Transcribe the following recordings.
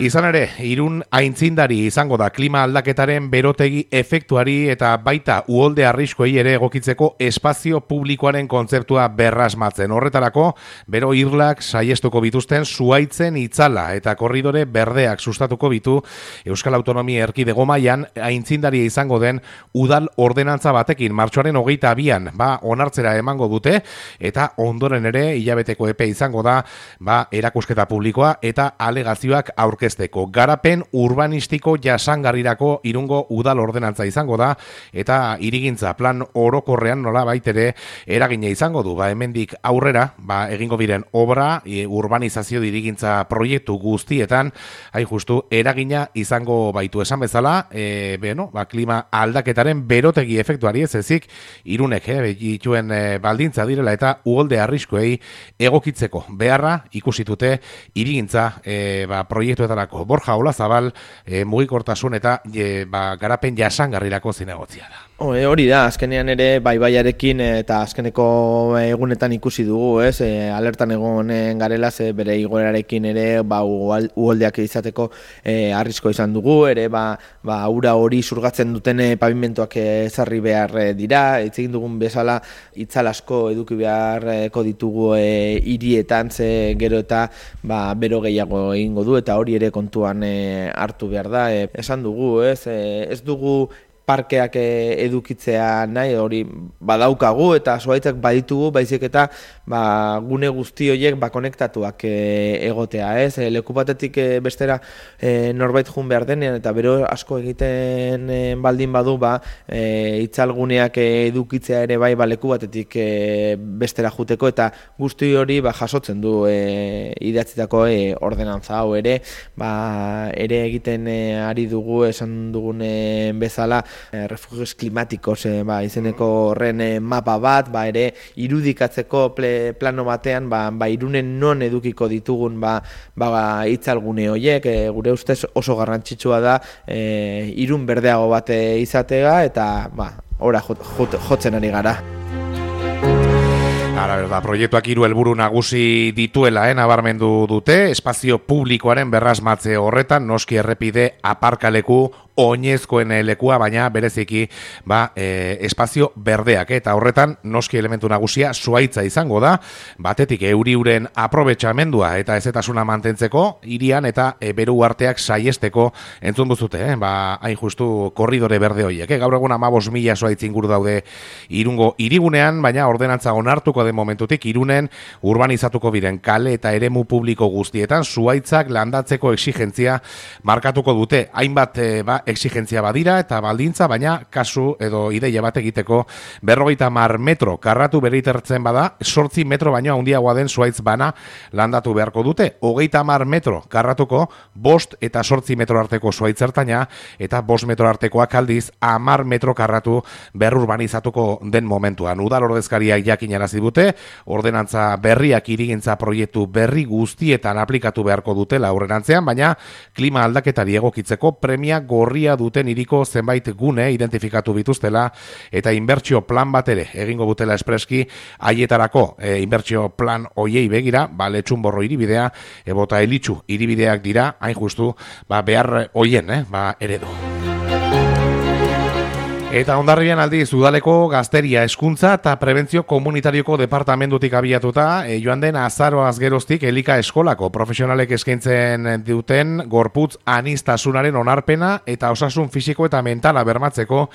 Izan ere, Irun aintzindari izango da klima aldaketaren berotegi efektuari eta baita uholde arriskuei ere egokitzeko espazio publikoaren kontzeptua berrasmatzen. Horretarako, bero irlak saiestuko bituzten zuhaitzen itzala eta korridore berdeak sustatuko bitu Euskal Autonomia Erkidego mailan aintzindaria izango den udal ordenantza batekin martxoaren 22an onartzera emango dute eta ondoren ere hilabeteko epe izango da erakusketa publikoa eta alegazioak aurkezteko. Garapen urbanistiko jasangarrirako Irungo udal ordenantza izango da eta hirigintza plan orokorrean nola baitere eragina izango du. Hemendik aurrera egingo biren obra, urbanizazio hirigintza proiektu guztietan hain justu eragina izango baitu esan bezala, klima aldaketaren berotegi efektuari ez ezik Irunek dituen baldintza direla eta uholde arriskuei egokitzeko beharra ikusitute hirigintza proiektuetarako. Borja Olazabal mugikortasun eta garapen jasangarrirako zinegotzia da. Hori da, azkenean ere baiarekin eta azkeneko egunetan ikusi dugu, alertan egonen garela, bere igoerarekin ere uholdeak izateko arrisko izan dugu, ere ura hori zurgatzen duten pavimentoak ezarri behar dira, hitz egin dugun bezala itzal asko eduki beharko ditugu hirietan, gero eta bero gehiago egingo du eta hori ere kontuan hartu behar da. Esan dugu, ez dugu parkeak edukitzea nahi, hori badaukagu eta zuhaitzak baditugu, baizik eta gune guzti horiek konektatuak egotea, leku batetik bestera norbait jun behar denean eta bero asko egiten baldin badu itzalguneak edukitzea ere leku batetik bestera juteko eta guzti hori jasotzen du idatzitako ordenantza hau ere egiten ari dugu esan dugun bezala refugios klimatikos izeneko horren mapa bat, ere irudikatzeko plano batean, Irunen non edukiko ditugun itzalgune horiek, gure ustez oso garrantzitsua da Irun berdeago bat izatea eta ora jotzen ari gara. Proiektuak 3 helburu nagusi dituela nabarmendu dute, espazio publikoaren berrasmatze horretan, noski errepide aparkaleku oinezkoen lekua, baina bereziki espazio berdeak eta horretan noski elementu nagusia zuhaitza izango da, batetik euriuren aprobetxamendua eta ezetasuna mantentzeko hirian eta beru arteak saiesteko entzun duzute, hain justu korridore berde horiek. Gaur egun 15.000 zuhaitz inguru daude Irungo hirigunean, baina ordenantza onartuko den momentutik Irunen urbanizatuko biren kale eta eremu publiko guztietan zuhaitzak landatzeko exigentzia markatuko dute. Hainbat exigentzia badira eta baldintza, baina kasu edo ideia bat egiteko 50 metro karratu beritertzen bada, 8 metro baino handiagoa den zuhaitz bana landatu beharko dute. 30 metro karratuko 5 eta 8 metro arteko zuhaitz ertaina eta 5 metro artekoak aldiz 10 metro karratu berrurbanizatuko den momentuan. Udal ordezkariak jakinarazi dute, ordenantza berriak hirigintza proiektu berri guztietan aplikatu beharko dutela aurrerantzean, baina klima aldaketari egokitzeko premia gorria duten hiriko zenbait gune identifikatu bituztela eta inbertsio plan bat ere egingo dutela espreski haietarako. Inbertsio plan hoiei begira, Letxunborro hiribidea ebota Elitxu hiribideak dira hain justu behar hoien eredu. Eta Hondarribian aldiz udaleko gazteria hezkuntza eta prebentzio komunitarioko departamentutik abiatuta, joan den azaroaz geroztik elika eskolako profesionalek eskaintzen duten gorputz aniztasunaren onarpena eta osasun fisiko eta mentala bermatzeko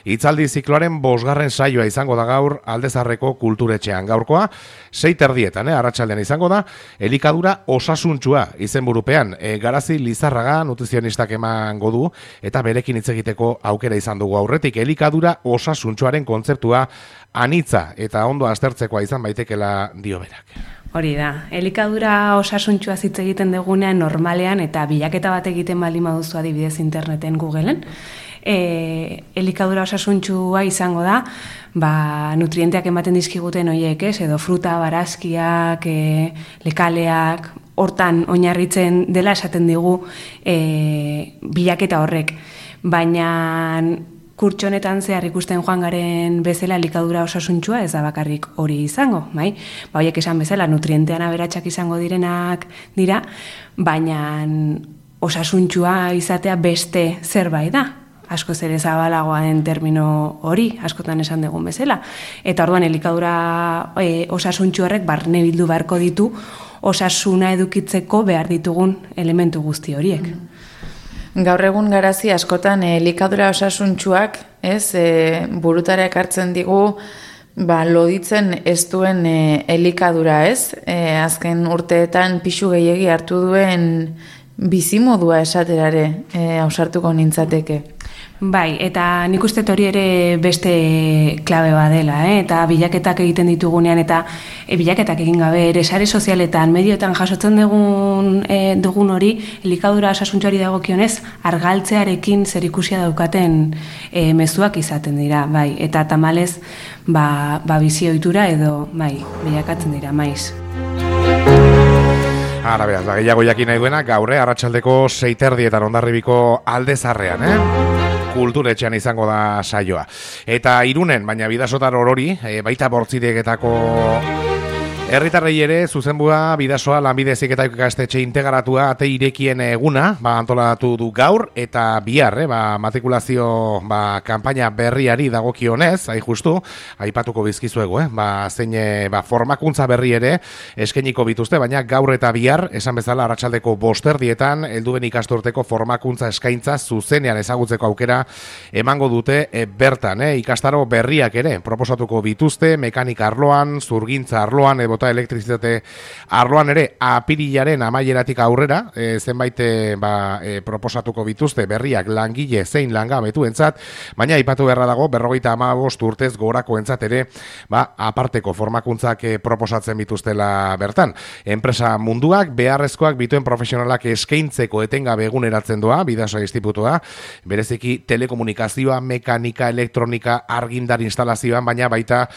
hitzaldi zikloaren 5. saioa izango da gaur Aldezarreko kulturetxean. Gaurkoa 6:30 arratsaldean izango da, elikadura osasuntsua izenburupean. Garazi Lizarraga nutrizionistak emango du eta berekin hitz egiteko aukera izan dugu aurretik. Elikadura osasuntsuaren kontzeptua anitza eta ondo aztertzekoa izan baitekela dio berak. Hori da, elikadura osasuntxua hitz egiten dugunean normalean eta bilaketa bat egiten baldin baduzu adibidez interneten Googleen, elikadura osasuntxua izango da, nutrienteak ematen dizkiguten horiek, edo fruta, barazkiak, lekaleak, hortan oinarritzen dela esaten digu bilaketa horrek. Baina kurtso honetan zehar ikusten joan garen bezala elikadura osasuntsua ez da bakarrik hori izango, bai? Ba, horiek esan bezala nutrientean aberatsak izango direnak dira, baina osasuntsua izatea beste zerbait da. Askoz ere zabalagoa den termino hori, askotan esan dugun bezala. Eta orduan elikadura osasuntsu horrek barne bildu beharko ditu osasuna edukitzeko behar ditugun elementu guzti horiek. Gaur egun garazi askotan elikadura osasuntsuak, burutara ekartzen digu loditzen ez duen elikadura, azken urteetan pixu gehiegi hartu duen bizimodua esaterare ausartuko nintzateke. Bai, eta nik uste hori ere beste klabe badela, eta bilaketak egiten ditugunean, eta bilaketak egin gabe ere sare sozialetan, medioetan jasotzen dugun hori, elikadura osasuntsuari dagokionez, argaltzearekin zerikusia daukaten mezuak izaten dira, bai, eta tamalez bizi ohitura edo bilakatzen dira maiz. Ara beraz, gehiago jakin nahi duena, gaur arratsaldeko 6:30 Hondarribiko Aldezarrean, kulturetxean izango da saioa. Eta Irunen, baina Bidasotar orori, baita Bortzideketako herritarrei ere zuzenbua Bidasoa Lanbide Heziketako ikastetxe integratua ate irekien eguna, antolatu du gaur eta bihar, matrikulazio kanpaina berriari dagokionez, justu, aipatuko bizkizuegu, zein formakuntza berri ere eskainiko bituzte, baina gaur eta bihar, esan bezala arratsaldeko 5:00 helduen ikasturteko formakuntza eskaintza zuzenean ezagutzeko aukera emango dute bertan, ikastaro berriak ere proposatuko bituzte, mekanika arloan, zurgintza arloan, eta elektrizitate arloan ere apirilaren amaieratik aurrera zenbait proposatuko bituzte berriak langile zein langabetuentzat, baina aipatu beharra dago 55 urtez gorakoentzat ere aparteko formakuntzak proposatzen bituztela bertan. Enpresa munduak beharrezkoak bituen profesionalak eskaintzeko etengabe eguneratzen doa Bidasoa Institutua, bereziki telekomunikazioa, mekanika, elektronika, argindar instalazioan, baina baita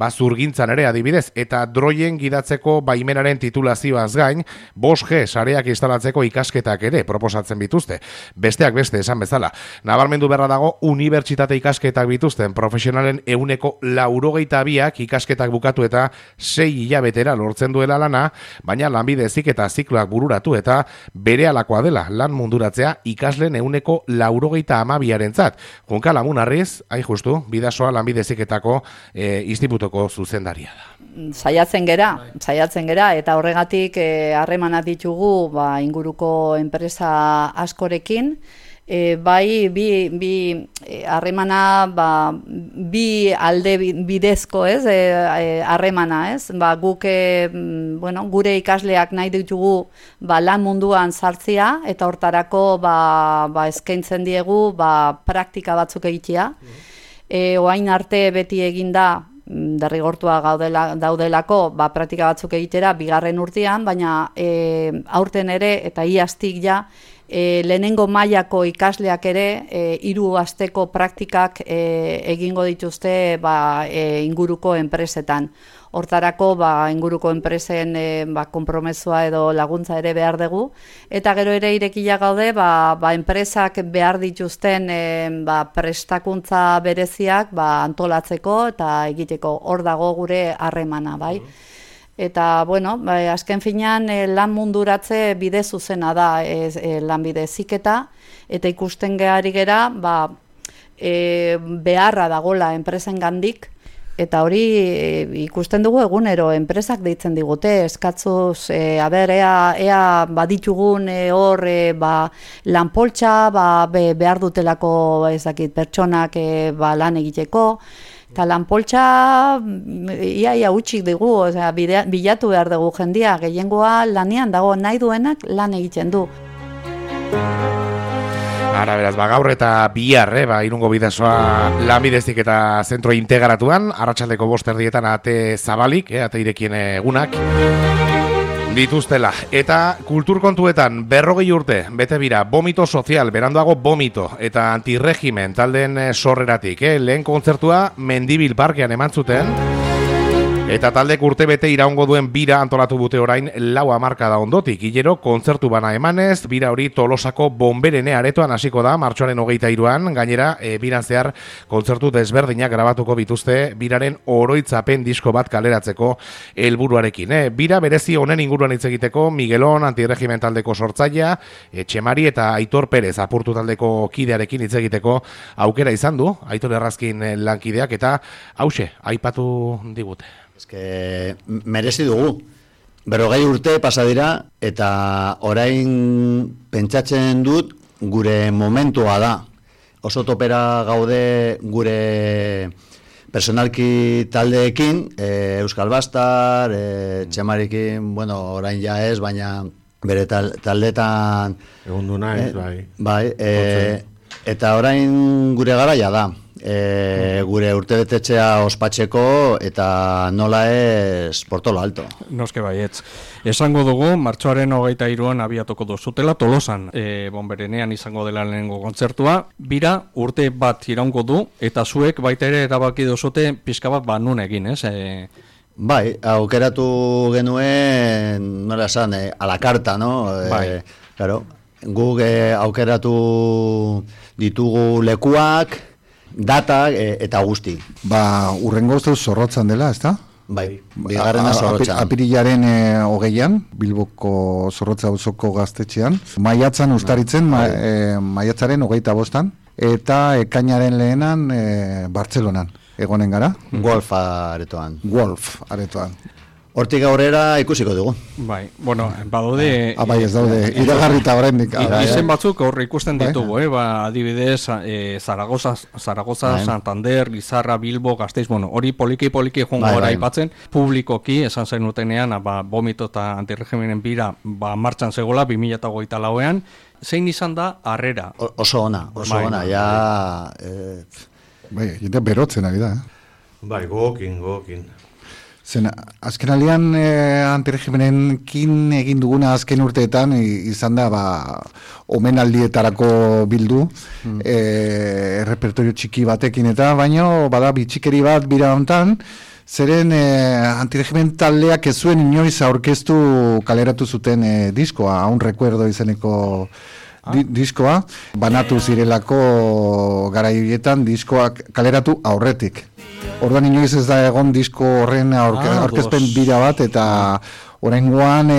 zurgintzan ere adibidez, eta droien gidatzeko baimenaren titulazioaz gain, 5G sareak instalatzeko ikasketak ere proposatzen bituzte. Besteak beste esan bezala. Nabarmendu beharra dago unibertsitate ikasketak bituzten profesionalen 92ak ikasketak bukatu eta 6 hilabetera lortzen duela lana, baina Lanbide Heziketa zikloak bururatu eta berehalakoa dela lan munduratzea ikasleen 92arentzat. Junka Lamunarriz, hain justu, Bidasoa Lanbide Heziketako institutuko zuzendaria da. Saiatzen gera eta horregatik harremanak ditugu inguruko enpresa askorekin, bi harremana bi alde bidezko harremana, guk gure ikasleak nahi ditugu lan munduan sartzea eta hortarako eskaintzen diegu praktika batzuk egitea. Orain arte beti eginda derrigortua daudelako praktika batzuk egitera bigarren urtean, baina aurten ere eta iaztik lehenengo mailako ikasleak ere 3 asteko praktikak egingo dituzte inguruko enpresetan. Hortarako inguruko enpresen konpromesua edo laguntza ere behar dugu, eta gero ere irekia gaude enpresak behar dituzten prestakuntza bereziak antolatzeko eta egiteko. Hor dago gure harremana, bai. Eta, azken finean lan munduratze bide zuzena da Lanbide Heziketa, eta ikusten gehari gera beharra dagola enpresen gandik, eta hori ikusten dugu egunero enpresak deitzen digute, eskatzuz, ea baditugun hor lanpoltsa, behar dutelako pertsonak lan egiteko, eta lanpoltsa ia utxik dugu, bilatu behar dugu jendia, gehiengoa lanean dago, nahi duenak lan egiten du. Ara beraz, gaur eta bihar, Irungo Bidasoa Lanbide Heziketa zentro integratuan, arratsaldeko 5:00 ate zabalik, ate irekien egunak dituztela. Eta kulturkontuetan 40 urte, bete bira, Vomito Sozial, beranduago Vomito, eta Antirregimen taldeen sorreratik. Lehen kontzertua Mendibil Parkean eman zuten, Eta taldek urtebete iraungo duen bira antolatu dute orain 4 hamarkada ondotik. Hilero kontzertu bana emanez, bira hori Tolosako Bonberene aretoan hasiko da martxoaren 23an. Gainera, biran zehar kontzertu desberdinak grabatuko bituzte biraren oroitzapen disko bat kaleratzeko helburuarekin. Bira berezi honen inguruan hitz egiteko Miguelon antirregimen taldeko sortzailea, Etxemari eta Aitor Perez apurtu taldeko kidearekin hitz egiteko aukera izan du, Aitor Errazkin lankideak, eta hause aipatu digute. Eske merezi dugu. 40 urte pasa dira eta orain pentsatzen dut gure momentua da. Oso topera gaude gure personalki taldeekin, Euskal Bastar, Txemarikin, bueno, orain ja ez, baina bere taldetan egondu naiz, bai. Bai, eta orain gure garaia da. Gure urtebetetxea ospatzeko eta nola ez Portolo Alto. Noske baietz. Esango dugu, martxoaren 23an abiatuko duzutela Tolosan, Bonberenean izango dela lehenengo kontzertua. Bira urte bat iraungo du, eta zuek baita ere erabaki duzute pixka bat nun egin, ez? Bai, aukeratu genuen, nola esan, a la carta, no? Bai. Claro, guk aukeratu ditugu lekuak, data eta guzti. Urrengo ustez zorrotzan dela, ezta? Bai, bigarrena zorrotzan. Apirilaren 20an, Bilboko Zorrotza auzoko gaztetxean. Maiatzan ustaritzen, maiatzaren 25an, eta ekainaren lehenan Bartzelonan. Egonen gara? Wolf aretoan. Hortik aurrera ikusiko dugu. Bai, bueno, badaude... Bai, ez daude, iragarrita horrendik. Izen batzuk aurre ikusten ditugu, adibidez, Zaragoza, Santander, Lizarra, Bilbo, Gasteiz, bueno, hori poliki joango gara aipatzen, publikoki, esan zen utenean, Bomito eta antirregimenen bira martxan zegoela, 2024an, zein izan da harrera? Oso ona, ja... Bai, jende berotzen ari da, Bai, gokin. Zen, azken alian antiregimenenkin egin duguna azken urteetan izan da omenaldietarako bildu, repertorio txiki batekin eta, baino bada bitxikeri bat bira hontan, zeren antiregimen taldeak ez zuen inoiz aurkeztu kaleratu zuten diskoa, un recuerdo izeneko diskoa, banatu zirelako garaietan diskoak kaleratu aurretik. Orduan inoiz ez da egon disko horren aurkezpen bira bat, eta oraingoan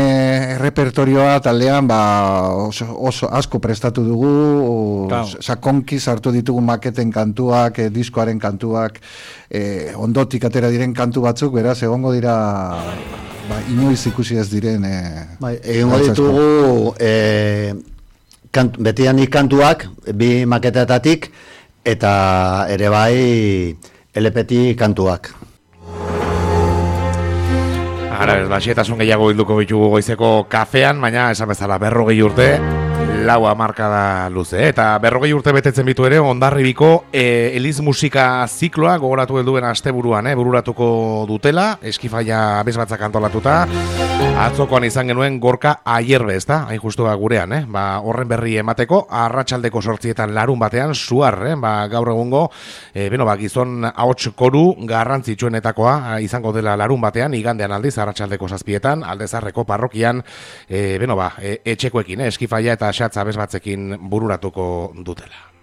repertorioa taldean oso asko prestatu dugu, sakonki sartu ditugu maketen kantuak, diskoaren kantuak, ondotik atera diren kantu batzuk, beraz egongo dira inoiz ikusi ez diren. Egingo ditugu betianik kantuak, bi maketetatik, eta ere bai LP-tik kantuak. Ara, xetasun gehiago bilduko bitugu goizeko kafean, baina esan bezala 40 urte, 4 hamarkada luze. Eta 40 urte betetzen bitu ere, Hondarribiko Eliz musika zikloa gogoratu helduen asteburuan, bururatuko dutela, Eskifaia abesbatzak antolatuta, atzokoan izan genuen Gorka Aierbe, ez da? Hain justu gurean, horren berri emateko, arratsaldeko 8 larun batean, Suar, gaur egungo, gizon ahots koru garrantzitsuenetakoa izango dela larun batean, igandean aldiz, arratsaldeko 7 Aldezarreko parrokian, etxekoekin, Eskifaia eta Xatza abesbatzekin bururatuko dutela.